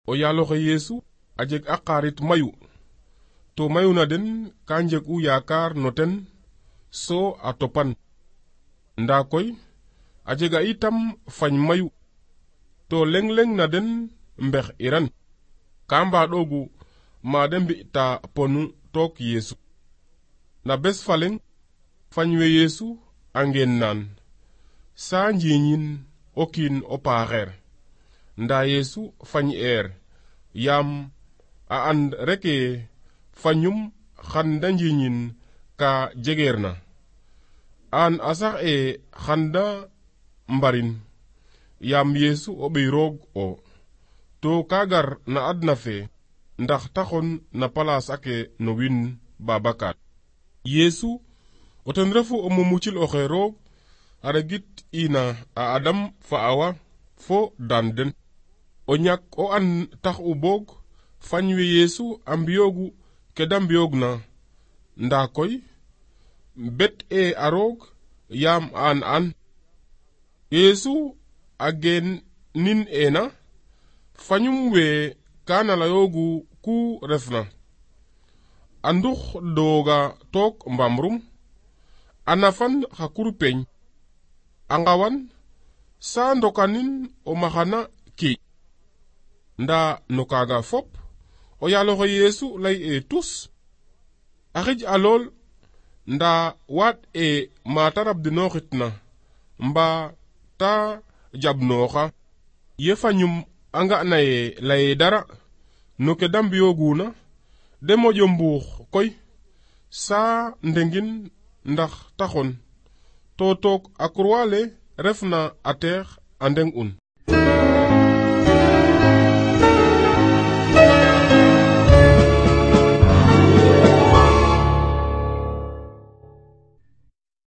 o yaaloxe Yeesu a jeg a xarit mayu to mayu na den ka njeg u yaakaar no ten so a topan. Nda koy a jega itam fañ mayu to leng na den mbex iran ka mbaɗogu ma de mbi'ta ponu took Yeesu. Na bes faleng fañ we Yeesu a ngeen naan sa njiñin o kiin o paaxeer, nda Yeesu fañ yaam a and reke fañum xan da njiñin ka jegeer na. An a sax xan da mbarin yaam Yeesu o ɓiy roog o, to ka gar na adna fe ndax taxon na palaas ake no wiin Babacar. Yeesu o ten refu o mumucil oxe roog a regit ina a Adam fa Awa fo daan den. O ñak o an tax u boog fañ we Yeesu a mbiyoogu ke da mbiyoog na, nda koy bet a roog yaam an Yeesu a geen nin ena fañum we kana layoogu ku refna a ndux dooga took mbamrum a nafan xa kurpeñ a ngawan sa ndokanin o maxana kiic. Nda no kaaga fop o yaaloxe Yeesu lay tus a xij a lool, nda waaɗ mata rabdinooxit na mba ta jabnooxa. Ye fañum a nga na laye dara no ke da mbiyooguna de moƴo mbuux koy sa ndengin ndax taxon to took a kurwale refna a teex a ndeng un.